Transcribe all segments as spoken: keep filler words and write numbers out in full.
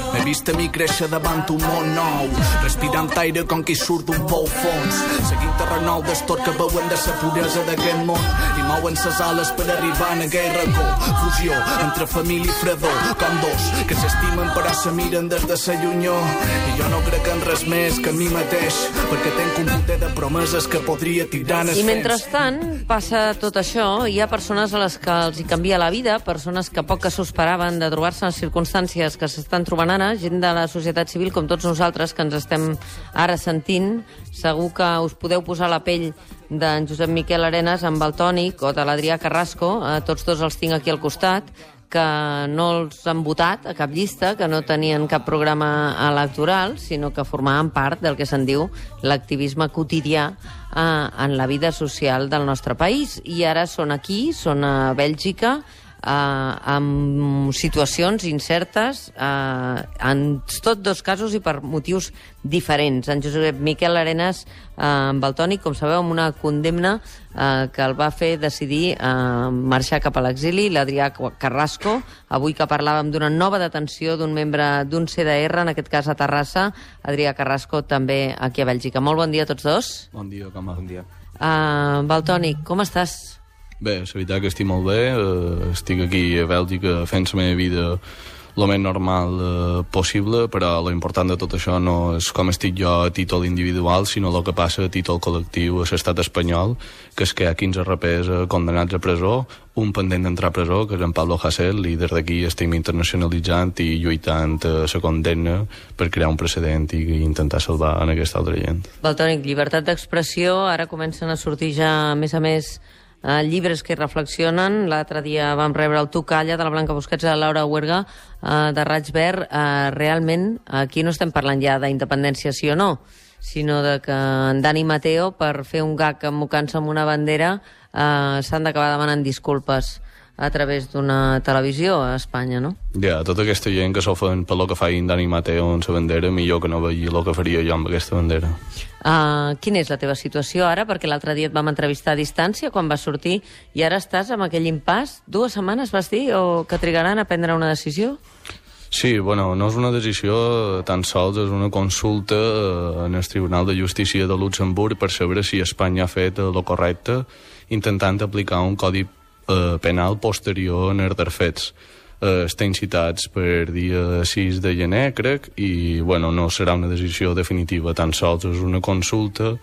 M'he vist a mi créixer davant un món nou, respirant aire com qui surt d'un pou fons, seguint el renou d'estor que veuen de sa puresa d'aquest món i mouen ses ales per arribar en aquell racó. Fusió entre família i fredor, com dos que s'estimen però se miren des de sa llunyor. I jo no crec en res més que a mi mateix, perquè tenc un boter de promeses que podria tirar en els I mentrestant passa tot això, hi ha persones a les que els hi canvia la vida, persones que poc que s'ho esperaven de trobar-se en circumstàncies que s'estan trobant ara, gent de la societat civil com tots nosaltres que ens estem ara sentint. Segur que us podeu posar la pell d'en Josep Miquel Arenas amb el Tònic o de l'Adrià Carrasco, eh, tots dos els tinc aquí al costat, que no els han votat a cap llista, que no tenien cap programa electoral, sinó que formaven part del que se'n diu l'activisme quotidià eh, en la vida social del nostre país. I ara són aquí, són a Bèlgica, Uh, amb situacions incertes, uh, en tots dos casos i per motius diferents. En Josep Miquel Arenas, uh, amb el Tònic, com sabeu, amb una condemna uh, que el va fer decidir uh, marxar cap a l'exili. L'Adrià Carrasco, avui que parlàvem d'una nova detenció d'un membre d'un C D R, en aquest cas a Terrassa. Adrià Carrasco també aquí a Bèlgica. Molt bon dia a tots dos. Bon dia, com va? Bon dia. Uh, Valtònic, com estàs? Bé, la veritat que estic molt bé, eh, estic aquí a Bèlgica fent la meva vida el més normal eh, possible, però l'important de tot això no és com estic jo a títol individual, sinó el que passa a títol col·lectiu a l'estat espanyol, que és que hi ha quinze rapers eh, condenats a presó, un pendent d'entrar a presó, que és en Pablo Hasél, i des d'aquí estem internacionalitzant i lluitant a la condemna per crear un precedent i intentar salvar en aquesta altra gent. Valtònic, llibertat d'expressió, ara comencen a sortir ja, a més a més, Uh, llibres que reflexionen. L'altre dia vam rebre el Tu calla, de la Blanca Busquets, de la Laura Huerga, uh, de Raig Verd. Uh, realment, aquí no estem parlant ja d'independència sí o no, sinó de que en Dani Mateo, per fer un gag emmocant-se amb una bandera, uh, s'han d'acabar demanant disculpes a través d'una televisió a Espanya, no? Ja, tota aquesta gent que s'ofen per lo que fa en Dani Mateo en la bandera, millor que no vegi el que faria jo amb aquesta bandera. Uh, quina és la teva situació ara? Perquè l'altre dia et vam entrevistar a distància quan vas sortir i ara estàs amb aquell impàs. Dues setmanes vas dir o que trigaran a prendre una decisió? Sí, bueno, no és una decisió tan sols, és una consulta en el Tribunal de Justícia de Luxemburg per saber si Espanya ha fet el correcte intentant aplicar un codi eh, penal posterior en els dels fets. Eh, estem citats per dia sis de gener, crec, i bueno, no serà una decisió definitiva, tan sols és una consulta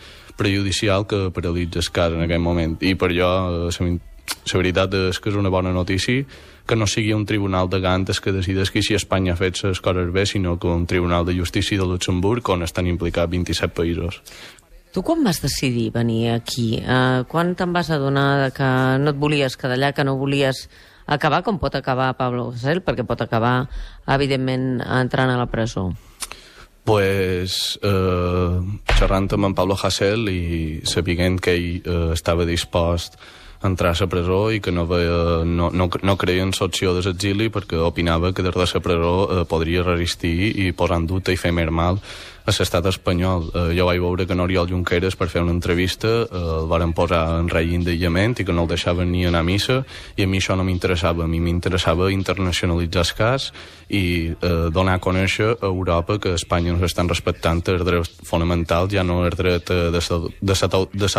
prejudicial que paralitza el cas en aquest moment. I per jo, eh, la veritat és que és una bona notícia que no sigui un tribunal de gantes que decideixi si Espanya ha fet les coses bé, sinó que un tribunal de justícia de Luxemburg on estan implicats vint-i-set països. Tu quan vas decidir venir aquí? Uh, quan te'n vas adonar que no et volies quedar allà, que no volies acabar com pot acabar Pablo Hasél, perquè pot acabar, evidentment, entrant a la presó? Pues, eh, xerrant amb en Pablo Hasél i sabent que ell eh, estava dispost a entrar a la presó i que no, veia, no, no, no creia en l'opció de l'exili perquè opinava que des de la presó eh, podria resistir i posar en dubte i fer més mal a l'estat espanyol. Eh, jo vaig veure que Oriol Junqueras, per fer una entrevista, eh, el varen posar en règim d'aïllament i que no el deixaven ni anar a missa, i a mi això no m'interessava. A mi m'interessava internacionalitzar el cas i eh, donar a conèixer a Europa que a Espanya no s'estan respectant els drets fonamentals, ja no el dret eh, de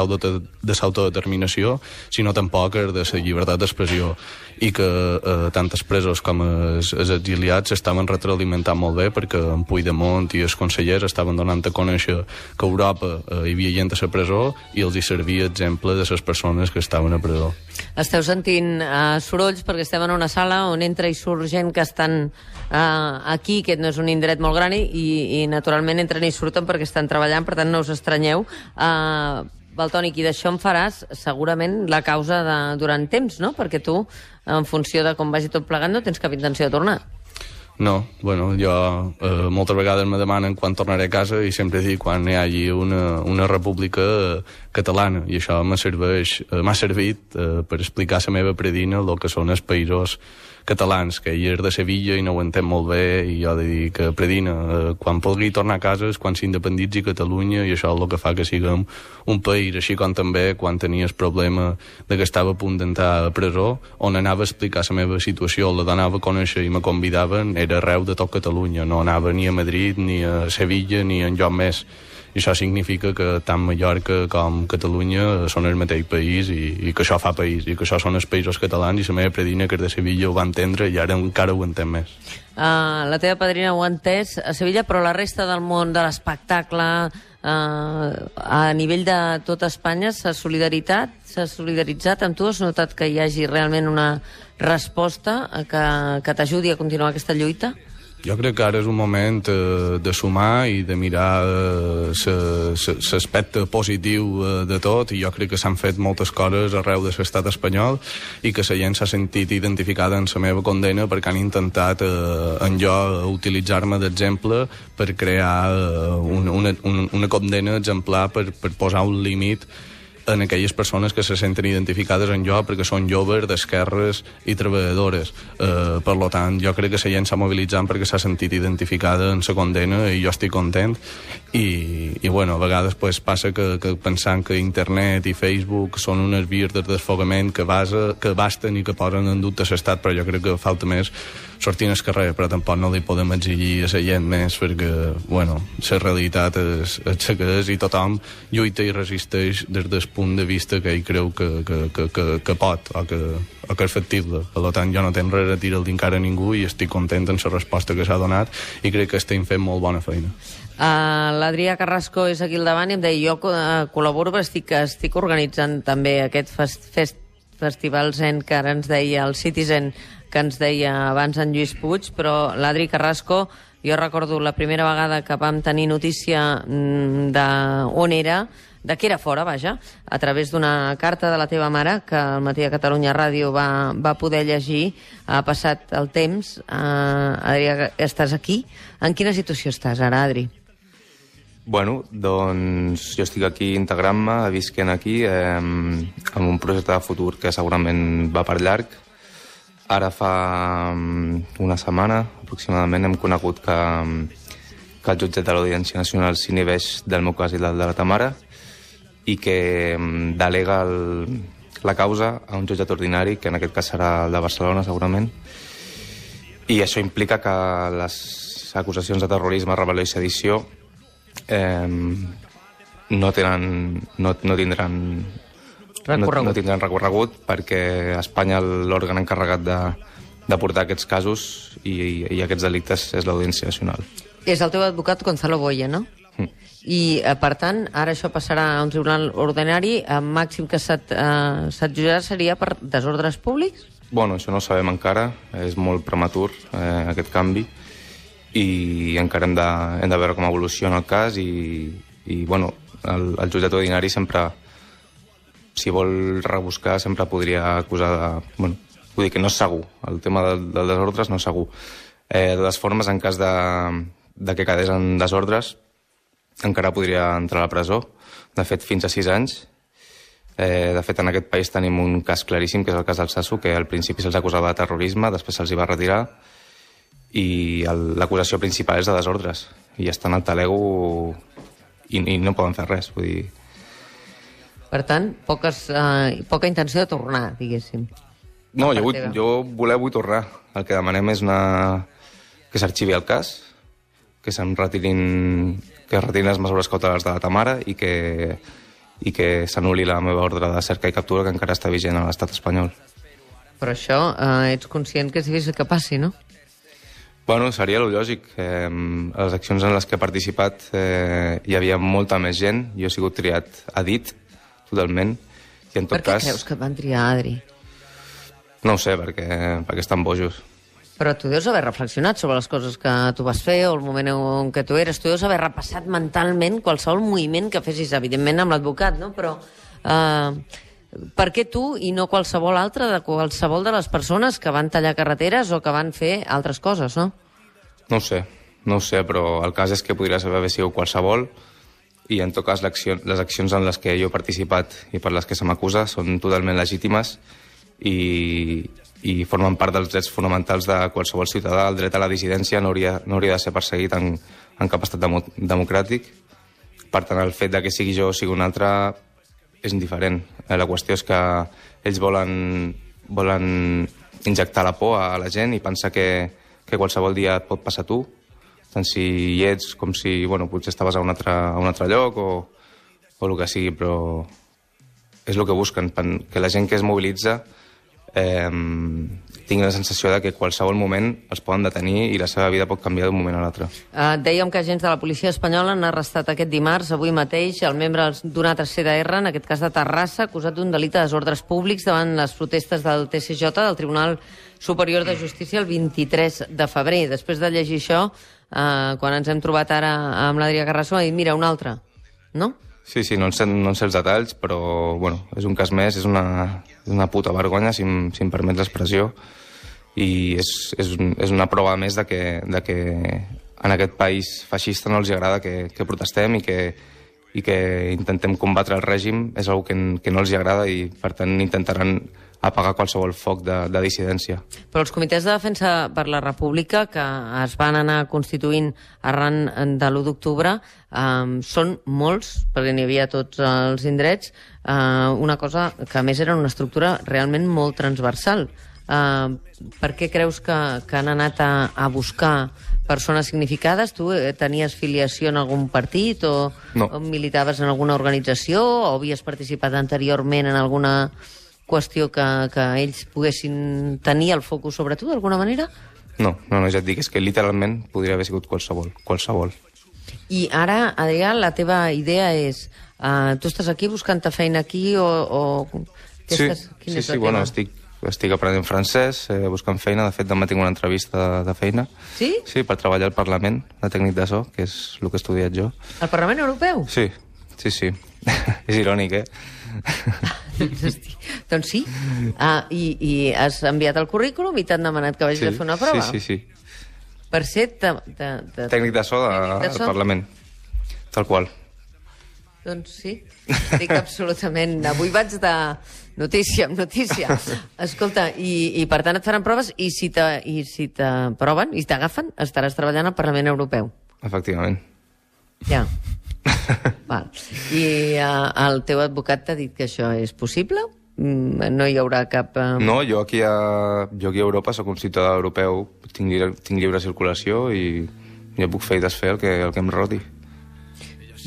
l'autodeterminació, sinó tampoc el de la llibertat d'expressió, i que eh, tant els presos com els, els exiliats s'estaven retroalimentant molt bé perquè en Puigdemont i els consellers estaven donant a conèixer que a Europa eh, hi havia gent a la presó i els hi servia exemple de les persones que estaven a presó. Esteu sentint uh, sorolls perquè estem en una sala on entra i surt gent que estan uh, aquí, que no és un indret molt gran, i, i naturalment entren i surten perquè estan treballant, per tant no us estranyeu. Uh, Valtònic, i d'això en faràs segurament la causa de, durant temps, no? Perquè tu, en funció de com vagi tot plegant, no tens cap intenció de tornar. No, bueno, jo eh, moltes vegades me demanen quan tornaré a casa i sempre dic quan hi hagi una, una república eh, catalana, i això m'ha serveix, eh, m'ha servit eh, per explicar la meva predina el que són els països catalans, que ell és de Sevilla i no ho entén molt bé, i jo he de dir que Predina, eh, quan pugui tornar a casa és quan s'independitzi Catalunya, i això és el que fa que siguem un país, així com també quan tenia el problema de que estava a punt d'entrar a presó, on anava a explicar la meva situació, la donava a conèixer i me convidaven, era arreu de tot Catalunya, no anava ni a Madrid, ni a Sevilla, ni enlloc més. I això significa que tant Mallorca com Catalunya són el mateix país, i, i que això fa país, i que això són els països catalans, i la meva predina, que és de Sevilla, ho va entendre i ara encara ho entén més. Uh, la teva padrina ho ha entès a Sevilla, però la resta del món de l'espectacle, uh, a nivell de tota Espanya, s'ha solidaritat, s'ha solidaritzat amb tu? Has notat que hi hagi realment una resposta que, que t'ajudi a continuar aquesta lluita? Jo crec que ara és un moment eh, de sumar i de mirar l'aspecte eh, positiu eh, de tot, i jo crec que s'han fet moltes coses arreu de l'estat espanyol i que la gent s'ha sentit identificada en la meva condena perquè han intentat eh, en jo utilitzar-me d'exemple per crear eh, una, una, una condena exemplar per, per posar un límit en aquelles persones que se senten identificades en jo perquè són joves, d'esquerres i treballadores. Eh, per lo tant, jo crec que la gent s'ha mobilitzat perquè s'ha sentit identificada en la condena, i jo estic content. I, i bueno, a vegades pues, passa que, que pensant que internet i Facebook són unes vies de desfogament que, basa, que basten i que posen en dubte l'estat, però jo crec que falta més sortir al carrer, però tampoc no li podem exigir a la gent més perquè, bueno, la realitat és, és que és, i tothom lluita i resisteix des del punt de vista que ell creu que, que, que, que, que pot o que, o que és factible. Per tant, jo no tenc res a tirar encara a ningú i estic content amb la resposta que s'ha donat i crec que estem fent molt bona feina. Uh, L'Adrià Carrasco és aquí al davant i em deia, jo uh, col·laboro, però estic, estic organitzant també aquest fest, fest, festival Zen que ara ens deia el Citizen, que ens deia abans en Lluís Puig, però l'Adri Carrasco, jo recordo la primera vegada que vam tenir notícia d'on era, de què era fora, vaja, a través d'una carta de la teva mare que el Matí de Catalunya Ràdio va, va poder llegir. Ha passat el temps. Uh, Adri, estàs aquí? En quina situació estàs ara, Adri? Bueno, doncs jo estic aquí integrant-me, visquent aquí, eh, amb un projecte de futur que segurament va per llarg. Ara fa una setmana, aproximadament, hem conegut que, que el jutjat de l'Audiència Nacional s'inhibeix del meu cas i del de la ta mare, i que delega el, la causa a un jutjat ordinari, que en aquest cas serà el de Barcelona, segurament. I això implica que les acusacions de terrorisme, rebel·lió i sedició eh, no, tenen, no, no tindran no, no tindran recorregut, perquè a Espanya l'òrgan encarregat de, de portar aquests casos i, i aquests delictes és l'Audiència Nacional. És el teu advocat Gonzalo Boya, no? Mm. I, eh, per tant, ara això passarà a un tribunal ordinari, el màxim que se't, eh, se't jutjarà seria per desordres públics? Bueno, això no ho sabem encara, és molt prematur eh, aquest canvi, i encara hem de, hem de veure com evoluciona el cas, i, i bueno, el, el jutjat ordinari sempre, si vol rebuscar, sempre podria acusar de... Bueno, vull dir que no és segur, el tema del, del desordres no és segur. Eh, de les formes, en cas de, de que quedés en desordres, encara podria entrar a la presó, de fet fins a sis anys. Eh, de fet, en aquest país tenim un cas claríssim, que és el cas del Sasso, que al principi se'ls acusava de terrorisme, després se'ls hi va retirar, i l'acusació principal és de desordres, i estan al talego i, i no poden fer res, vull dir... Per tant, poques, eh, poca intenció de tornar, diguéssim. No, jo, vull, jo voler vull tornar. El que demanem és una... que s'arxivi el cas, que se'n retirin, que retirin les mesures cautelars de la ta mare i que, i que s'anul·li la meva ordre de cerca i captura, que encara està vigent a l'estat espanyol. Però això, eh, ets conscient que és difícil que passi, no? Bueno, seria lo lògic. Eh, a les accions en les que he participat eh, hi havia molta més gent. Jo he sigut triat a dit, totalment. I en tot per què cas... creus que et van triar, Adri? No ho sé, perquè, perquè estan bojos. Però tu deus haver reflexionat sobre les coses que tu vas fer o el moment en què tu eres. Tu deus haver repassat mentalment qualsevol moviment que fessis, evidentment amb l'advocat, no? Però eh, per què tu i no qualsevol altre de qualsevol de les persones que van tallar carreteres o que van fer altres coses, no? No ho sé, no ho sé, però el cas és que podria haver sigut qualsevol, i en tot cas les accions en les que jo he participat i per les que se m'acusa són totalment legítimes, i, i formen part dels drets fonamentals de qualsevol ciutadà. El dret a la dissidència no hauria, no hauria de ser perseguit en, en cap estat demo, democràtic. Per tant, el fet de que sigui jo o sigui un altre és indiferent. La qüestió és que ells volen, volen injectar la por a la gent i pensar que, que qualsevol dia et pot passar a tu, tant si hi ets com si bueno, potser estaves a un altre, a un altre lloc o, o el que sigui, però és el que busquen, que la gent que es mobilitza eh, tingui la sensació de que qualsevol moment els poden detenir i la seva vida pot canviar d'un moment a l'altre. Uh, dèiem que agents de la policia espanyola han arrestat aquest dimarts, avui mateix, el membre d'un altre C D R, en aquest cas de Terrassa, acusat d'un delicte de desordres públics davant les protestes del T C J, del Tribunal Superior de Justícia, el vint-i-tres de febrer. Després de llegir això, uh, quan ens hem trobat ara amb l'Adrià Carrasco, ha dit, mira, un altre, no? Sí, sí, no en sé, no en sé els detalls, però bueno, és un cas més, és una, és una puta vergonya, si em, si em permet l'expressió, i és, és, un, és una prova més de que, de que en aquest país feixista no els agrada que, que protestem i que, i que intentem combatre el règim, és una que, que no els agrada i per tant intentaran apagar qualsevol foc de, de dissidència. Però els comitès de defensa per la República que es van anar constituint arran de l'u d'octubre eh, són molts, perquè n'hi havia tots els indrets, eh, una cosa que a més era una estructura realment molt transversal. Eh, per què creus que, que han anat a, a buscar persones significades? Tu tenies filiació en algun partit o, no. o militaves en alguna organització o havies participat anteriorment en alguna qüestió que, que ells poguessin tenir el focus sobre tu, d'alguna manera? No, no, no, ja et dic, és que literalment podria haver sigut qualsevol, qualsevol. I ara, Adrià, la teva idea és, uh, tu estàs aquí buscant-te feina aquí o... o sí, estàs, sí, sí, bueno, estic, estic aprenent francès, eh, buscant feina, de fet demà tinc una entrevista de, de feina. Sí? Sí, per treballar al Parlament, de tècnic de so, que és el que he estudiat jo. Al Parlament Europeu? Sí, sí, sí. És irònic, eh? Doncs sí. Ah, i, I has enviat el currículum i t'han demanat que vagis sí, a fer una prova? Sí, sí, sí. Per ser... De, de, de... Tècnic de so al Parlament. Tal qual. Doncs sí, estic absolutament... Avui vaig de notícia en notícia. Escolta, i, i per tant et faran proves i si t'aproven i t'agafen, estaràs treballant al Parlament Europeu. Efectivament. Ja. Val. I uh, el teu advocat t'ha dit que això és possible? Mm, no hi haurà cap... Uh... No, jo aquí, a, jo aquí a Europa soc un ciutadà europeu, tinc, lliure, tinc lliure circulació i jo puc fer i desfer el que, el que em roti.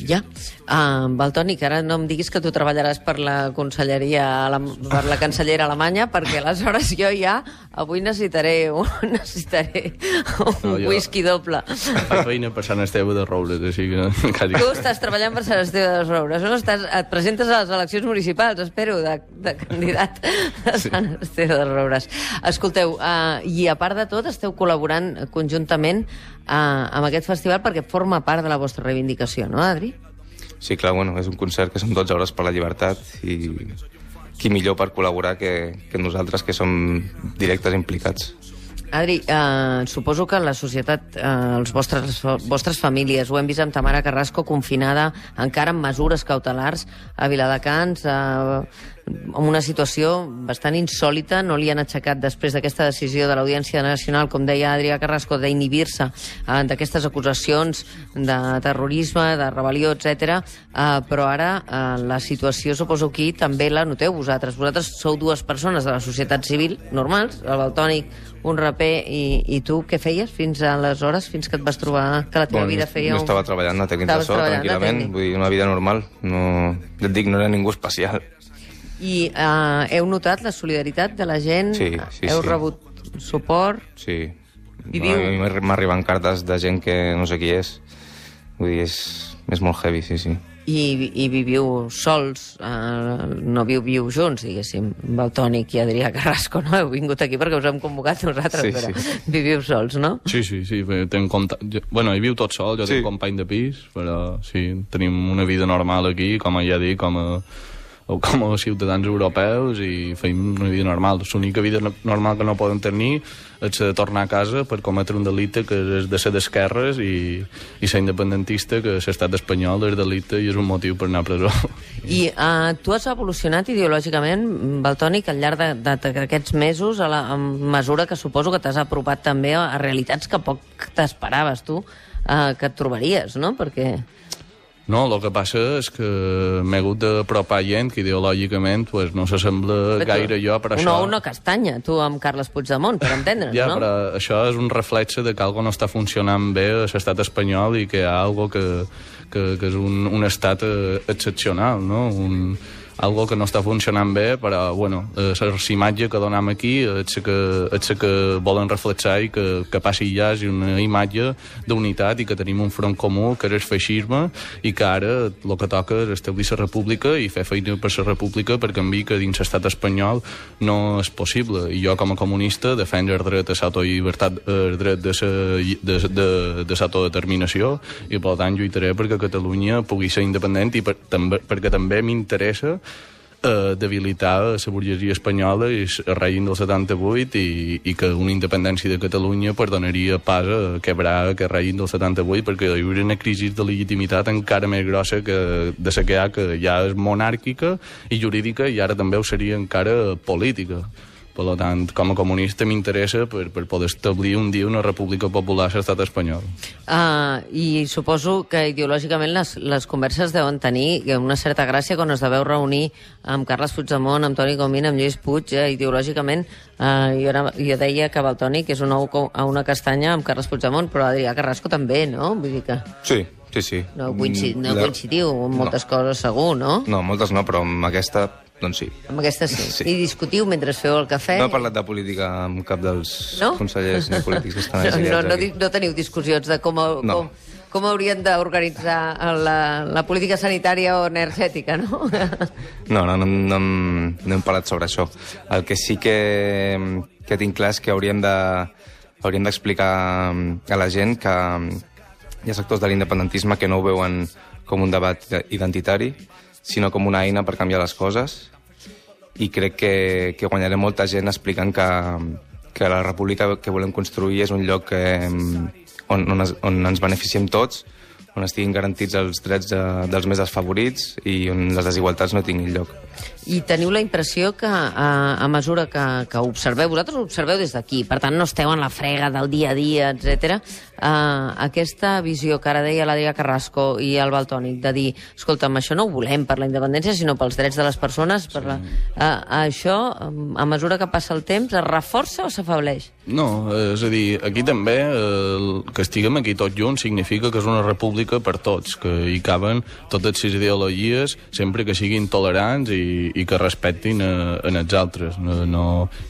Ja. Uh, Valtònic, ara no em diguis que tu treballaràs per la conselleria, per la cancellera alemanya, perquè aleshores jo ja avui necessitaré un, necessitaré un no, jo... whisky doble. Faig feina per Sant Esteve de Roures, així que... Tu estàs treballant per Sant Esteve de Roures, no? Estàs, et presentes a les eleccions municipals, espero, de, de candidat a Sant Esteve de Roures. Escolteu, uh, i a part de tot, esteu col·laborant conjuntament uh, amb aquest festival perquè forma part de la vostra reivindicació, no, Adri? Sí, clar, bueno, és un concert que són dotze hores per la llibertat i qui millor per col·laborar que, que nosaltres, que som directes implicats. Adri, eh, suposo que la societat, eh, els vostres, vostres famílies, ho hem vist amb Tamara Carrasco confinada encara amb mesures cautelars a Viladecans, eh, en una situació bastant insòlita, no li han aixecat després d'aquesta decisió de l'Audiència Nacional, com deia Adrià Carrasco, d'inhibir-se eh, d'aquestes acusacions de terrorisme, de rebel·lió, etcètera. Eh, però ara eh, la situació, suposo, aquí també la noteu vosaltres. Vosaltres sou dues persones de la societat civil normals, el Valtònic, un raper, i, i tu què feies fins aleshores, fins que et vas trobar que la teva bueno, vida feia... No un... estava treballant a tècnic de so, tranquil·lament, vull dir, una vida normal. No, ja et dic, no era ningú especial. I uh, heu notat la solidaritat de la gent? Sí, sí, heu sí. rebut suport? Sí. Viviu... A mi m'arriben cartes de gent que no sé qui és. Vull dir, és, és molt heavy, sí, sí. I, i viviu sols, uh, no viviu junts, diguéssim, Valtònic i Adrià Carrasco, no? Heu vingut aquí perquè us hem convocat nosaltres, sí, però sí. Viviu sols, no? Sí, sí, sí, tenc compte... Bueno, hi viu tot sol, jo sí. tinc company de pis, però sí, tenim una vida normal aquí, com ja dic, com a... com a ciutadans europeus i feim una vida normal. L'única vida normal que no poden tenir és de tornar a casa per cometre un delicte que és de ser d'esquerres i, i ser independentista, que l'estat espanyol és delicte i és un motiu per anar a presó. I uh, tu has evolucionat ideològicament, Valtònic, al llarg d'aquests mesos, a, la, a mesura que suposo que t'has apropat també a, a realitats que poc t'esperaves tu uh, que et trobaries, no? Perquè... No, el que passa és que m'he hagut d'apropar gent que ideològicament pues, no s'assembla gaire jo per una això. Una una castanya, tu amb Carles Puigdemont, per entendre'ns, ja, no? Ja, però això és un reflexe de que algo no està funcionant bé a l'estat espanyol i que hi ha algo que, que, que és un, un estat excepcional, no? Un, algo que no està funcionant bé, però, bueno, la imatge que donem aquí és que, és que volen reflexar i que, que passi ja una imatge d'unitat i que tenim un front comú, que és el feixisme, i que ara el que toca és establir la república i fer feina per la república per canviar que dins l'estat espanyol no és possible. I jo, com a comunista, defenso el dret a l'autollibertat, el dret de, sa, de, de, de l'autodeterminació, i per tant lluitaré perquè Catalunya pugui ser independent i per, també, perquè també m'interessa Uh, debilitar la burgesia espanyola i el règim del setanta-vuit i, i que una independència de Catalunya perdonaria pas a quebrar aquest règim del setanta-vuit, perquè hi hauria una crisi de legitimitat encara més grossa que de la que hi ha, que ja és monàrquica i jurídica, i ara també ho seria encara política. Per tant, com a comunista m'interessa per, per poder establir un dia una república popular a l'estat espanyol. Uh, I suposo que ideològicament les, les converses deuen tenir una certa gràcia quan us deveu reunir amb Carles Puigdemont, amb Toni Comín, amb Lluís Puig. Eh, ideològicament, uh, jo, era, jo deia que Valtònic és un ou a una castanya amb Carles Puigdemont, però Adrià Carrasco també, no? Vull dir que... Sí, sí, sí. No, coincid, no coincidiu en moltes no. coses, segur, no? No, moltes no, però amb aquesta... Doncs sí. Amb aquesta sí. sí. I discutiu mentre feu el cafè? No he parlat de política amb cap dels no? consellers ni polítics que estan no, no, no, aquí. No teniu discussions de com, no. com, com haurien d'organitzar la, la política sanitària o energètica, no? No, no, no, no, no hem parlat sobre això. El que sí que, que tinc clar és que hauríem de hauríem d'explicar a la gent que hi ha sectors de l'independentisme que no ho veuen com un debat identitari, sinó com una eina per canviar les coses, i crec que, que guanyarem molta gent explicant que, que la república que volem construir és un lloc que, on, on, es, on ens beneficiem tots, on estiguin garantits els drets de, dels més desfavorits i on les desigualtats no tinguin lloc. I teniu la impressió que a, a mesura que, que observeu, vosaltres ho observeu des d'aquí, per tant no esteu en la frega del dia a dia, etcètera. Uh, aquesta visió que ara deia l'Adrià Carrasco i el Valtònic, de dir, escolta'm, això no ho volem per la independència, sinó pels drets de les persones, per la... uh, això, a mesura que passa el temps, es reforça o s'afableix? No, és a dir, aquí també eh, que estiguem aquí tots junts significa que és una república per tots, que hi caben totes les ideologies, sempre que siguin tolerants i, i que respectin a, a els altres, no, no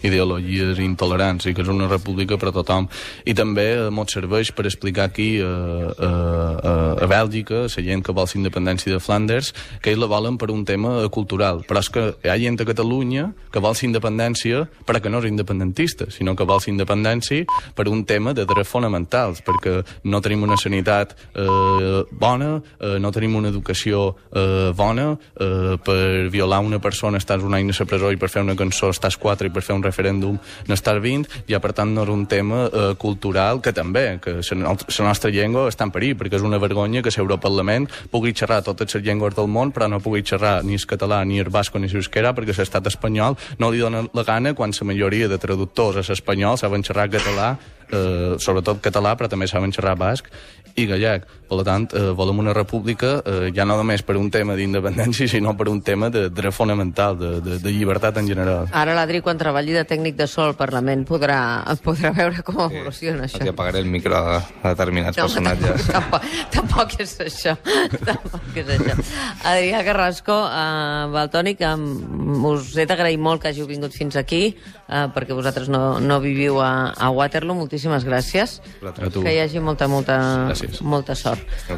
ideologies intolerants, i que és una república per a tothom. I també eh, ens serveix per explicar aquí a, a, a, a Bèlgica, la gent que vol la independència de Flanders, que ells la volen per un tema cultural, però és que hi ha gent a Catalunya que vol la independència però que no és independentista, sinó que vol la independència per un tema de drets fonamentals, perquè no tenim una sanitat eh, bona, eh, no tenim una educació eh, bona, eh, per violar una persona estàs un any a la presó i per fer una cançó estàs quatre i per fer un referèndum n'estàs vint, ja per tant no és un tema eh, cultural, que també, que la nostra llengua està en perill, perquè és una vergonya que l'Europarlament pugui xerrar totes les llengües del món, però no pugui xerrar ni el català, ni el basco, ni l'eusquera, perquè l'estat espanyol no li dona la gana quan la majoria de traductors a l'espanyol saben xerrar català, eh, sobretot català, però també saben xerrar basc i gallec. Per tant, eh, volem una república eh, ja no només per un tema d'independència, sinó per un tema de dret fonamental, de, de, de llibertat en general. Ara l'Adri, quan treballi de tècnic de so al Parlament, podrà, podrà veure com evoluciona sí, això. Perquè apagaré el micro a, a determinats no, personatges. Tampoc, tampoc és això. Tampoc és això. Adrià Carrasco, uh, Valtònic, um, us he d'agrair molt que hàgiu vingut fins aquí, uh, perquè vosaltres no, no viviu a, a Waterloo. Moltíssimes gràcies. A tu. Que hi hagi molta, molta, gràcies. molta sort.